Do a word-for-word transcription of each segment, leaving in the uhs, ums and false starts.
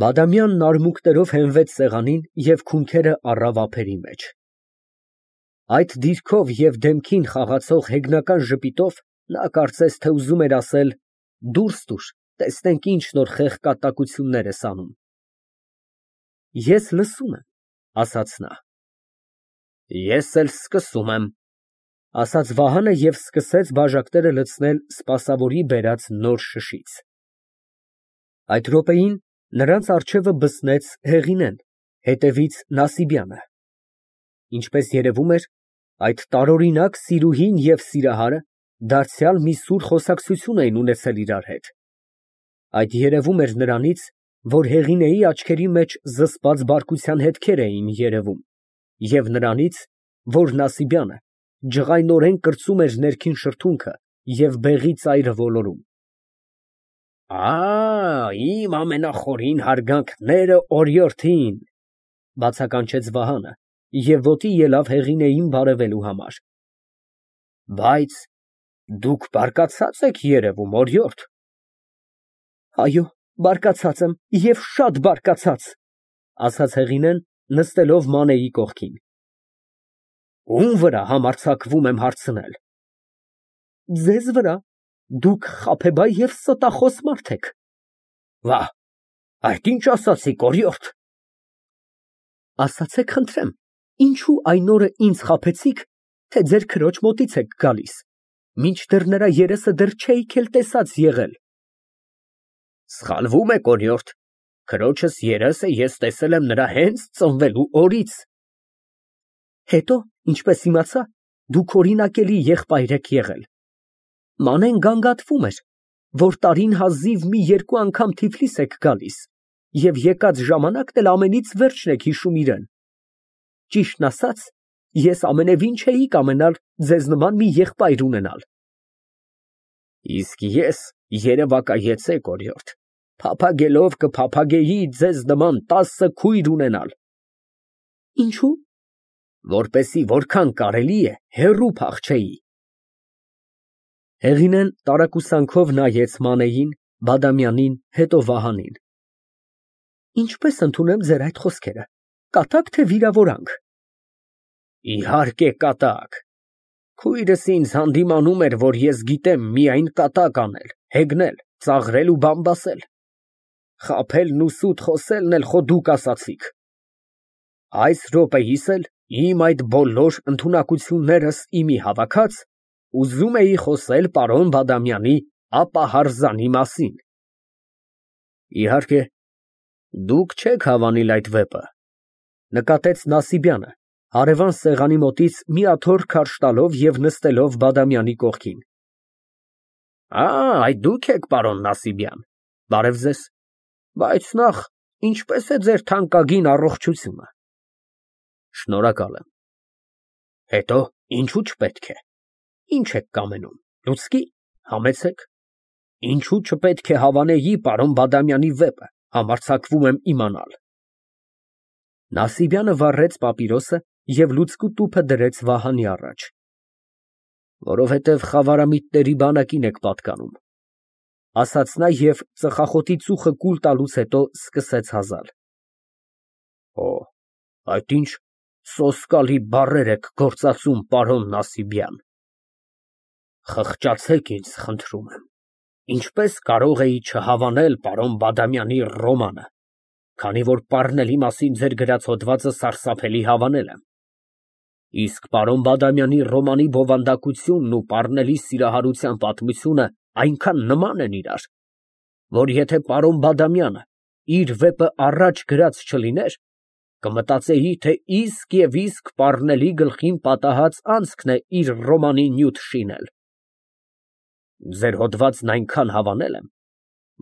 Բադամյանն արմունկներով հենվեց սեղանին և քունքերը առավ ափերի մեջ։ Այդ դիրքով և դեմքին խաղացող հեգնական ժպիտով նա կարծես թե ուզում էր ասել. «Դուրս տուր, տեսնենք ինչ նոր խեղկատակություններ ես անում»։ Ես լսում եմ, ասաց նա։ Ես էլ սկսում եմ, ասաց Վահանը և սկսեց բաժակները լցնել սպասավորի բերած նոր շշից։ Այդ րոպեին նրանց առջևը բսնեց Հեղինեն, հետևից Նասիբյանը։ Ինչպես երևում էր, այդ տարօրինակ սիրուհին և սիրահարը դարձյալ մի սուր խոսակցություն էին ունեցել իրար հետ։ Այդ երևում էր նրանից, որ Հեղինեի աչքերի մեջ զսպած բարկության հետքեր էին երևում, և նրանից, որ Նասիբյանը ջղայնորեն կրծում էր ներքին շրթունքը և բեղի ծայրը ոլորում։ Ա, իմ ամենախորին հարգանքները օրիորդին, բացականչեց Վահանը և ոտի ելավ Հեղինեին բարևելու համար։ Բայց դուք բարկացած եք երևում, օրիորդ։ Այո, բարկացած եմ և շատ բարկացած, ասաց Հեղինեն, նստելով Մանեի կողքին։ Ո՞ւմ վրա համարձակվում եմ հարցնել։ Ձեզ վրա, դուք խաբեբայ և ստախոս մարդ եք։ Վա, այդ ինչ ասացիք, օրիորդ։ Ասացեք խնդրեմ, ինչո՞ւ այն օրը ինձ խաբեցիք, թե ձեր քրոջ մոտից եք գալիս, մինչդեռ նրա երեսը դեռ չէիք էլ տեսած եղել։ Սխալվում եք, օրիորդ, քրոջս երեսը ես տեսել եմ նրա հենց ծնվելու օրից։ Հետո, ինչպես իմացա, դուք օրինակելի եղբայր եք եղել։ Մանեն գանգատվում էր, որ տարին հազիվ մի երկու անգամ Թիֆլիս եք գալիս և եկած ժամանակն էլ ամենից վերջն եք հիշում իրան։ Ճիշտն ասած, ես ամենևին չէի կամենալ ձեզ նման մի եղբայր ունենալ։ Իսկ ես երևակայեցեք, օրիորդ, փափագելով կփափագեի ձեզ նման տասը քույր ունենալ։ Ինչո՞ւ։ Որպեսզի որքան կարելի է հեռու փախչեի։ Հեղինեն տարակուսանքով նայեց Մանեին, Բադամյանին, հետո Վահանին։ Ինչպես ընդունեմ ձեր այդ խոսքերը, կատա՞կ, թե վիրավորանք։ Իհարկե կատակ։ Քույրս ինձ հանդիմանում էր, որ ես գիտեմ միայն կատակ անել, հեգնել, ծաղրել ու բամբասել։ Խաբելն ու սուտ խոսելն էլ խո դուք ասացիք։ Այս րոպեիս էլ իմ այդ բոլոր ընդունակություններս իմի հավաքած, ուզում էի խոսել պարոն Բադամյանի ապահարզանի մասին։ Իհարկե, դուք չեք հավանիլ այդ վեպը, նկատեց Նասիբյանը, հարևան սեղանի մոտից մի աթոռ քարշ տալով և նստելով Բադամյանի կողքին։ Ա, այդ դուք եք, պարոն Նասիբյան, բարև ձեզ, բայց նախ, ինչպե՞ս է ձեր թանկագին առողջությունը։ Շնորհակալ եմ։ Հետո, ինչու չպետք է։ Ինչ եք կամենում, լուցկի, համեցեք։ Ինչու չպետք է հավանեի պարոն Բադամյանի վեպը, համարձակվում եմ իմանալ։ Նասիբյանը վառեց պապիրոսը և լուցկու տուփը դրեց Վահանի առաջ։ Որովհետև խավարամիտների բանակին եք պատկանում, ասաց նա և ծխախոտի ծուխը կուլ տալուց հետո սկսեց հազալ։ Օ, այդ ինչ սոսկալի բառեր եք գործածում, պարոն Նասիբյան։ Խղճացեք ինձ, խնդրում եմ, ինչպես կարող էի չհավանել պարոն Բադամյանի ռոմանը, քանի որ պառնելի մասին ձեր գրած հոդվածը սարսափելի հավանել եմ։ Իսկ պարոն Բադամյանի ռոմանի բովանդակությունն ու պառնելի սիրահարության պատմությունը այնքան նման են իրար, որ եթե պարոն Բադամյանը իր վեպը առաջ գրած չլիներ, կմտածեի, թե իսկ և իսկ պառնելի գլխին պատահած անցքն է իր ռոմանի նյութ շինել։ Ձեր հոդվածն այնքան հավանել եմ,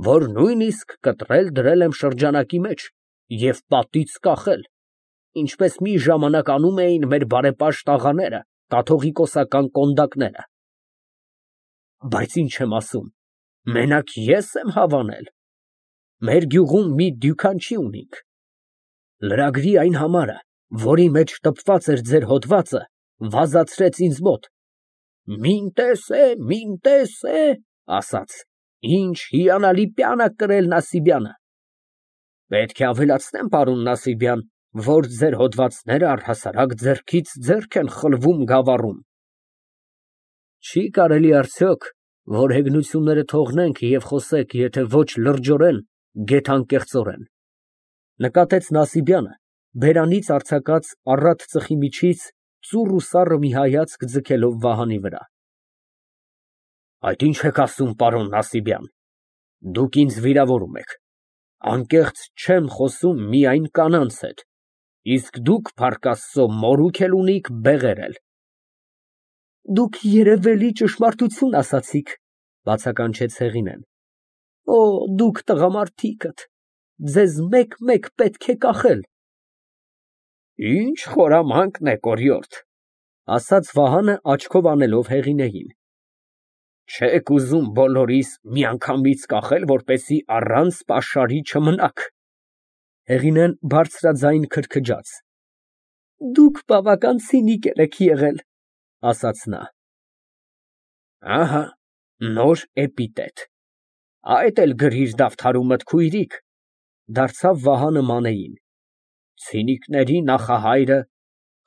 որ նույնիսկ կտրել դրել եմ շրջանակի մեջ և պատից կախել, ինչպես մի ժամանակ անում էին մեր բարեպաշտ աղաները, կաթողիկոսական կոնդակները։ Բայց ինչ եմ ասում, մենակ ես եմ հավանել։ Մեր գյուղում մի դյուքանչի ունինք։ Լրագրի այն համարը, որի մեջ տպված էր ձեր հոդվածը, վազացրեց ինձ մոտ. «Մին տեսե, մին տեսե», ասաց, «ինչ հիանալի պյան ա կրել Նասիբյանը»։ Պետք է ավելացնեմ, պարոն Նասիբյան, որ ձեր հոդվածները առհասարակ ձեռքից ձեռք են խլվում գավառում։ Չի կարելի արդյոք, որ հեգնությունները թողնենք և խոսենք, եթե ոչ լրջորեն, գեթանկեղծորեն, նկատեց Նասիբյանը, բերանից արձակած առատ ծխի միջից ծուռ ու սառը մի հայացք ձգելով Վահանի վրա։ Այդ ի՞նչ եք ասում, պարոն Նասիբյան, դուք ինձ վիրավորում եք, անկեղծ չեմ խոսում միայն կանանց հետ, իսկ դուք, փառք Աստծո, մորուք էլ ունիք, բեղեր էլ։ Դուք երևելի ճշմարտություն ասացիք, բացականչեց Հեղինեն։ Օ, դուք տղամարդիկդ, ձեզ մեկ֊մեկ պետք է կախել։ Ինչ խորամանկն է, կորյորդ, ասաց Վահանը աչքով անելով Հեղինեին։ Չեք ուզում բոլորիս միանգամից կախել, որպեսզի առանց պաշարի չմնաք։ Հեղինեն բարձրաձայն քրքջաց։ Դուք բավական ցինիկեր եք եղել, ասաց նա։ Ահա, նոր էպիտետ։ Այդ էլ գրիր դավթարումդ, քույրիկ, դարձավ Վահանը Մանեին։ Ցինիկների նախահայրը,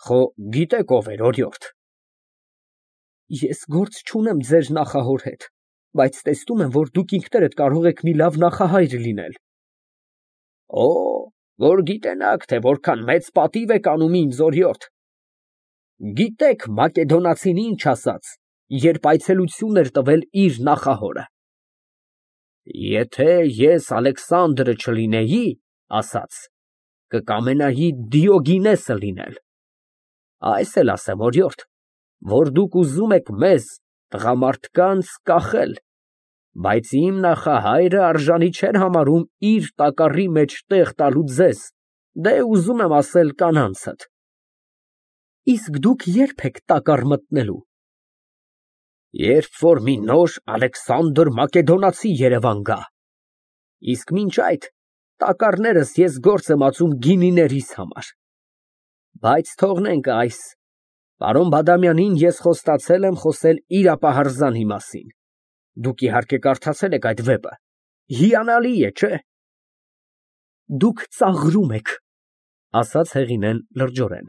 խո գիտեք ով էր, օրիորդ։ Ես գործ չունեմ ձեր նախահոր հետ, բայց տեսնում եմ, որ դուք ինքներդ կարող եք մի լավ նախահայր լինել։ Օ, որ գիտենաք, թե որքան մեծ պատիվ եք անում ինձ, օրիորդ։ Գիտեք մակեդոնացին ինչ ասաց, երբ այցելություն էր տվել իր նախահորը։ Եթե ես Ալեքսանդրը չլինեի, ասաց, կկամենայի Դիոգինեսը լինել։ Այս էլ ասեմ, օրիորդ, որ դուք ուզում եք մեզ, տղամարդկանց, կախել, բայց իմ նախահայրը արժանի չէր համարում իր տակառի մեջ տեղ տալու ձեզ, դե ուզում եմ ասել կանանցդ։ Իսկ դուք ե՞րբ եք տակառ մտնելու։ Երբ որ մի նոր Ալեքսանդր Մակեդոնացի Երևան գա։ Իսկ մինչ այդ տակառներս ես գործ եմ ածում գինիներիս համար։ Բայց թողնենք այս, պարոն Բադամյանին ես խոստացել եմ խոսել իր ապահարզանի մասին։ Դուք իհարկե կարդացել եք այդ վեպը, հիանալի է, չէ։ Դուք ծաղրում եք, ասաց Հեղինեն լրջորեն։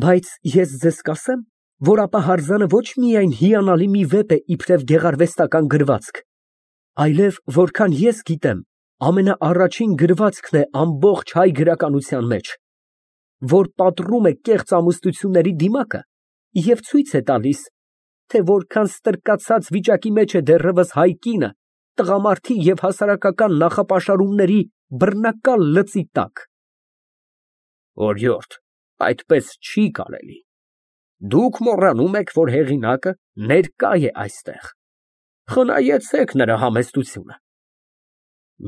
Բայց ես ձեզ կասեմ, որ ապահարզանը ոչ միայն հիանալի մի վեպ է իբրև գեղարվեստական գրվածք, այլև, որքան ես գիտեմ, ամենաառաջին գրվածքն է ամբողջ հայ գրականության մեջ, որ պատռում է կեղծ ամուսնությունների դիմակը և ցույց է տալիս, թե որքան ստրկացած վիճակի մեջ է դեռևս հայ կինը տղամարդի և հասարակական նախապաշարումների բռնակալ լծի տակ։ Օրիորդ, այդպես չի կարելի։ Դուք մոռանում եք, որ հեղինակը ներկա է այստեղ։ Խնայեցեք նրա համեստությունը։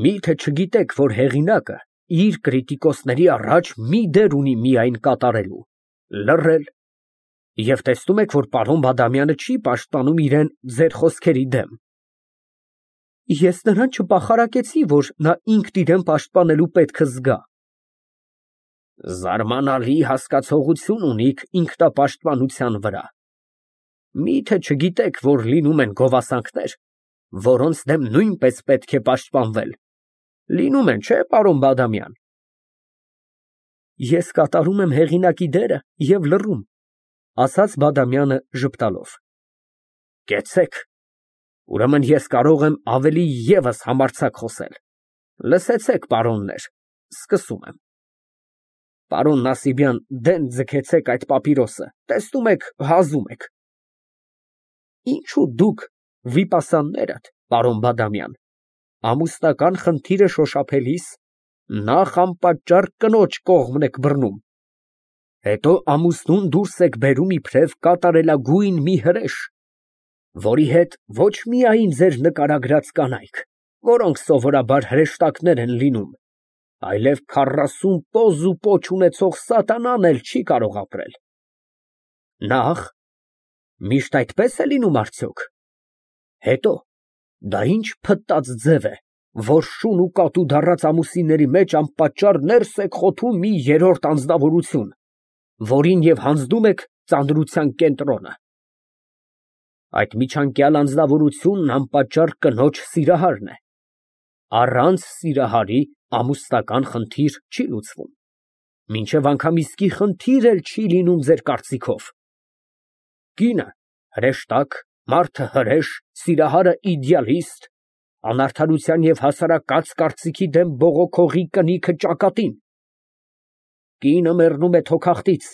Միթե չգիտեք, որ հեղինակը իր կրիտիկոսների առաջ մի դեր ունի միայն կատարելու, լռել, և տեսնում եք, որ պարոն Բադամյանը չի պաշտպանում իրեն ձեր խոսքերի դեմ։ Ես նրան չպախարակեցի, որ նա ինքն իրան պաշտպանելու պետքը զգա։ Զարմանալի հասկացողություն ունիք ինքնապաշտպանության վրա։ Միթե չգիտեք, որ լինում են գովասանքներ, որոնց դեմ նույնպես պետք է պաշտպանվել։ Լինում են, չէ, պարոն Բադամյան։ Ես կատարում եմ հեղինակի դերը և լռում, ասաց Բադամյանը ժպտալով։ Կեցցեք, ուրեմն ես կարող եմ ավելի ևս համարձակ խոսել։ Լսեցեք, պարոններ, սկսում եմ։ Պարոն Նասիբյան, դեն ձգեցեք այդ պապիրոսը, տեսնում եք, հազում եք։ Ինչու դուք, վիպասաններդ, պարոն Բադամյան, ամուսնական խնդիրը շոշափելիս նախ անպատճառ կնոջ կողմն եք բռնում, հետո ամուսնուն դուրս եք բերում իբրև կատարելագույն մի հրեշ, որի հետ ոչ միայն ձեր նկարագրած կանայք, որոնք սովորաբար հրեշտակներ են լինում, այլև քառասուն պոզ ու պոչ ունեցող սատանան էլ չի կարող ապրել։ Նախ, միշտ այդպես է լինում արդյոք։ Հետո, դա ինչ փտած ձև է, որ շուն ու կատու դառած ամուսինների մեջ անպատճառ ներս եք խոթում մի երրորդ անձնավորություն, որին և հանձնում եք ծանրության կենտրոնը։ Այդ միջանկյալ անձնավորությունն անպատճառ կնոջ սիրահարն է։ Առանց սիրահարի ամուսնական խնդիր չի լուծվում, մինչև անգամ իսկի խնդիր էլ չի լինում ձեր կարծիքով։ Կինը հրեշտակ, մարդը հրեշ, սիրահարը իդեալիստ, անարդարության և հասարակած կարծիքի դեմ բողոքողի կնիքը ճակատին։ Կինը մեռնում է թոքախտից,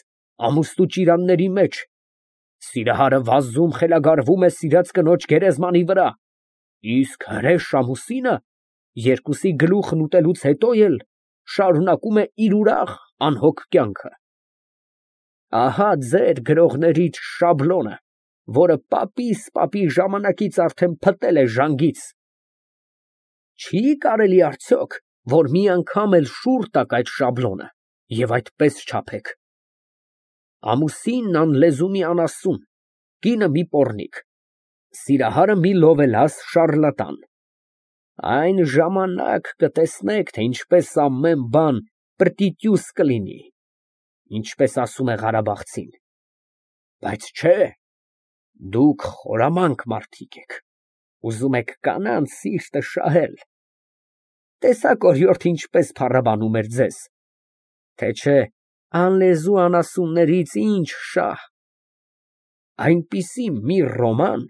ամուսնու ճիրանների մեջ, սիրահարը վազում խելագարվում է սիրած կնոջ գերեզմանի վրա, իսկ հրեշ ամուսինը երկուսի գլուխն ուտելուց հետո էլ շարունակում է իր ուրախ, անհոգ կյանքը։ Ահա ձեր գրողներից շաբլոնը, որը պապիս֊պապի ժամանակից արդեն փտել է ժանգից։ Չի կարելի արդյոք, որ մի անգամ էլ շուռ տաք այդ շաբլոնը և այդպես չափեք. ամուսինն անլեզու մի անասուն, կինը մի պոռնիկ, սիրահարը մի լովելաս շառլատան։ Այն ժամանակ կտեսնեք, թե ինչպես ամեն բան պրտիտյուս կլինի, ինչպես ասում է Ղարաբաղցին։ Բայց չէ, դուք խորամանկ մարդիկ եք, ուզում եք կանանց սիրտը շահել։ Տեսաք օրիորդ ինչպես փառաբանում էր ձեզ, թե չէ անլեզու անասուններից ինչ շահ։ Այնպիսի մի ռոման…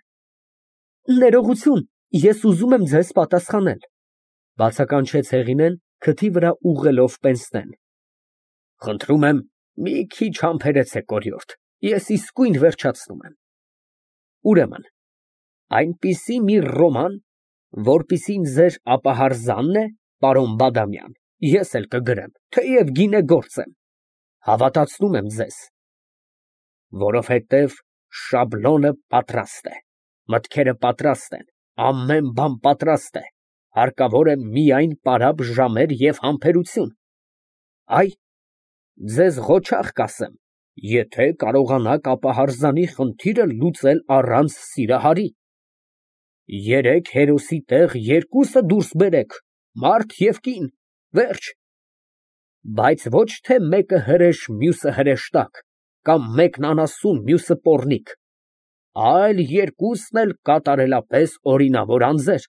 Ներողություն, ես ուզում եմ ձեզ պատասխանել, բացականչեց Հեղինեն, քթի վրա ուղղելով պենսնեն։ Խնդրում եմ, մի քիչ համբերեցեք, օրիորդ, ես իսկույն վերջացնում եմ։ Ուրեմն, այնպիսի մի ռոման, որպիսին ձեր ապահարզանն է, պարոն Բադամյան, ես էլ կգրեմ, թեև գինեգործ եմ, հավատացնում եմ ձեզ, որովհետև շաբլոնը պատրաստ է, մտքերը պատրաստ են, ամեն բան պատրաստ է, հարկավոր է միայն պարապ ժամեր և համբերություն։ Այ, ձեզ ղոչաղ կասեմ, եթե կարողանաք ապահարզանի խնդիրը լուծել առանց Սիրահարի։ Երեք հերոսի տեղ երկուսը դուրս բերեք, մարդ և կին, վերջ։ Բայց ոչ թե մեկը հրեշ, մյուսը հրեշտակ, կամ մեկն անասուն, մյուսը պոռնիկ, այլ երկուսն էլ կատարելապես օրինավոր անձեր,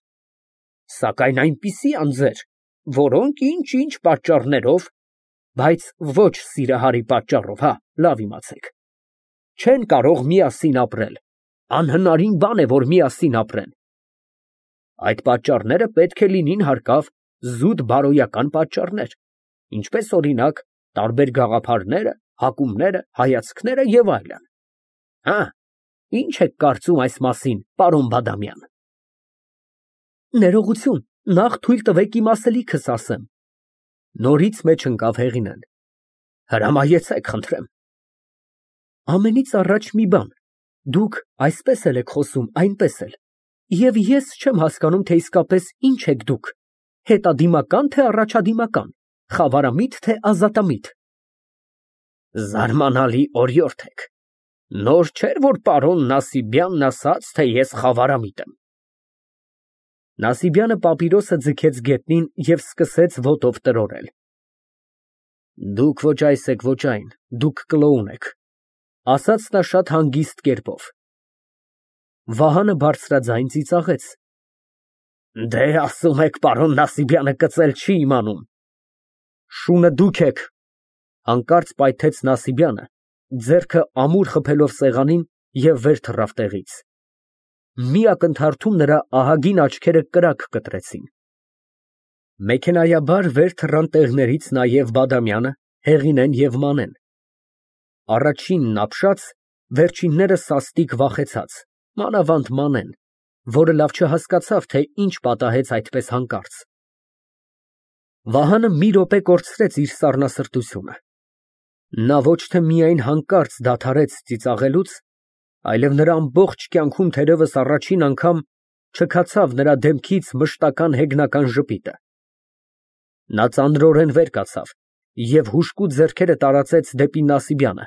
սակայն այնպիսի անձեր, որոնք ինչ֊ինչ պատճառներով, բայց ոչ Սիրահարի պատճառով, հա, լավ իմացեք, չեն կարող միասին ապրել, անհնարին բան է, որ միասին ապրեն։ Այդ պատճառները պետք է լինին հարկավ զուտ բարոյական պատճառներ, ինչպես օրինակ տարբեր գաղափարները, հակումները, հայացքները և այլն։ Հա, ինչ եք կարծում այս մասին, պարոն Բադամյան։ Ներողություն, նախ թույլ տվեք իմ ասելիքս ասեմ։ Նորից մեջ ընկավ Հեղինեն։ Հրամայեցեք, խնդրեմ։ Ամենից առաջ մի բան, դուք այսպես էլ եք խոսում, այնպես էլ, և ես չեմ հասկանում, թե իսկապես ինչ եք դուք, հետադիմակա՞ն, թե առաջադիմական, խավարամիտ, թե ազատամիտ։ Զարմանալի օրիորդ եք, նոր չէր, որ պարոն Նասիբյանն ասաց, թե ես խավարամիտ եմ։ Նասիբյանը պապիրոսը ձգեց գետնին և սկսեց ոտով տրորել։ Դուք ոչ այս եք, ոչ այն, դուք կլոուն եք, ասաց նա շատ հանգիստ կերպով։ Վահանը բարձրաձայն ծիծաղեց։ Դե, ասում եք, պարոն Նասիբյանը կծել չի իմանում։ Շունը դուք եք, հանկարծ պայթեց Նասիբյանը, ձեռքը ամուր խփելով սեղանին և վեր թռավ տեղից։ Մի ակնթարթում նրա ահագին աչքերը կրակ կտրեցին։ Մեքենայաբար վեր թռան տեղներից նաև Բադամյանը, Հեղինեն և Մանեն։ Առաջինն ապշած, վերջինները սաստիկ վախեցած, մանավանդ Մանեն, որը լավ չհասկացավ, թե ինչ պատահեց այդպես հանկարծ։ Վահանը մի րոպե կորցրեց իր սառնասրտությունը։ Նա ոչ թե միայն հանկարծ դադարեց ծիծաղելուց, այլև նրա ամբողջ կյանքում թերևս առաջին անգամ չքացավ նրա դեմքից մշտական հեգնական ժպիտը։ Նա ծանրորեն վեր կացավ և հուժկու ձեռքերը տարածեց դեպի Նասիբյանը,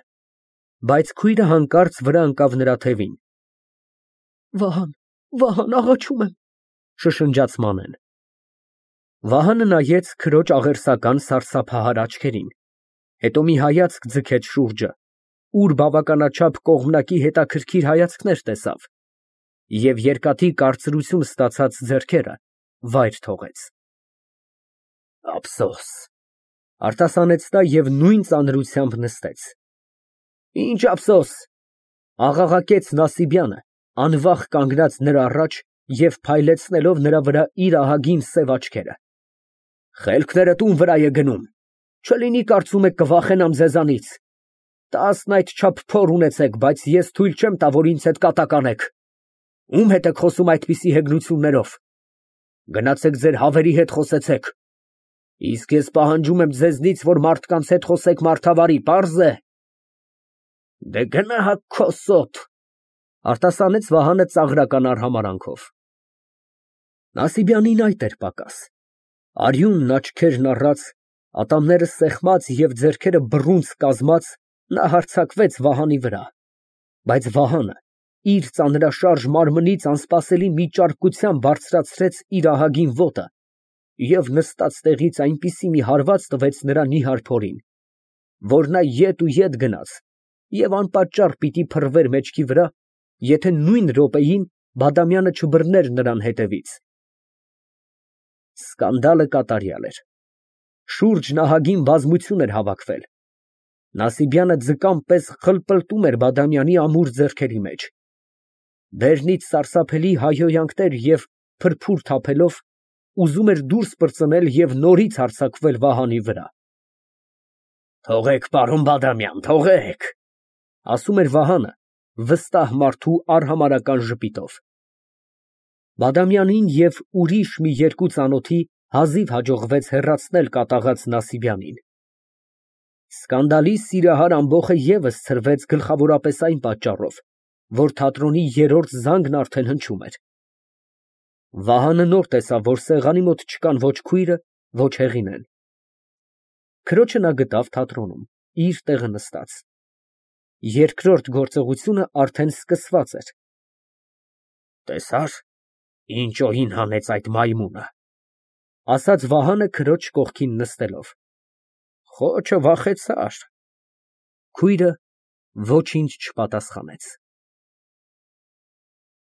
բայց քույրը հանկարծ վրա ընկավ նրա թևին։ Վահան, Վահան, աղաչում եմ, շշնջաց Մանեն։ Վահանը նայեց քրոջ աղերսական սարսափահար աչքերին, հետո մի հայացք ձգեց շուրջը, ուր բավականաչափ կողմնակի հետաքրքիր հայացքներ տեսավ և երկաթի կարծրություն ստացած ձեռքերը վայր թողեց։ Ափսոս, արտասանեց նա և նույն ծանրությամբ նստեց։ Ինչ ափսոս, աղաղակեց Նասիբյանը, անվախ կանգնած նրա առաջ և փայլեցնելով նրա վրա իր ահագին սև աչքերը։ Խելքներդ ո՞ւմ վրա է գնում, չլինի կարծում եք կվախենամ ձեզանից։ Տասն այդչափ փոր ունեցեք, բայց ես թույլ չեմ տա, որ ինձ հետ կատակ անեք։ Ո՞ւմ հետ եք խոսում այդպիսի հեգնություններով։ Գնացեք ձեր հավերի հետ խոսեցեք։ Իսկ ես պահանջում եմ ձեզնից, որ մարդկանց հետ խոսեք մարդավարի, պարզ է։ Դե գնա հա քո սոթ, արտասանեց Վահանը ծաղրական արհամարհանքով։ Նասիբյանին այդ էր պակաս։ Արյունն աչքերն առած, ատամները սեղմած և ձեռքերը բռունցք կազմած, նա հարձակվեց Վահանի վրա, բայց Վահանը իր ծանրաշարժ մարմնից անսպասելի մի ճարպկությամբ բարձրացրեց իր ահագին ոտը և նստած տեղից այնպիսի մի հարված տվեց նրա նիհար փորին, որ նա ետ ու ետ գնաց և անպատճառ պիտի փռվեր մեջքի վրա, եթե նույն րոպեին Բադամյանը չբռներ նրան հետևից։ Սկանդալը կատարյալ էր։ Շուրջն ահագին բազմություն էր հավաքվել։ Նասիբյանը ձկան պես խլպլտում էր Բադամյանի ամուր ձեռքերի մեջ։ Բերնից սարսափելի հայհոյանքներ և փրփուր թափելով, ուզում էր դուրս պրծնել և նորից հարձակվել Վահանի վրա։ Թողեք, պարոն Բադամյան, թողեք, ասում էր Վահանը վստահ մարդու արհամարհական ժպիտով։ Բադամյանին և ուրիշ մի երկու ծանոթի հազիվ հաջողվեց հեռացնել կատաղած Նասիբյանին։ Սկանդալի սիրահար ամբոխը ևս ցրվեց գլխավորապես այն պատճառով, որ թատրոնի երրորդ զանգն արդեն հնչում էր։ Վահանը նոր տեսավ, որ սեղանի մոտ չկան ոչ քույրը, ոչ Հեղինեն։ Քրոջը նա գտավ թատրոնում, իր տեղը նստած։ Երկրորդ գործողությունը արդեն սկսված էր։ Տեսա՞ր, ինչ օին հանեց այդ մայմունը, ասաց Վահանը քրոջ կողքին նստելով։ Խոչը վախեցար։ Քույրը ոչինչ չպատասխանեց։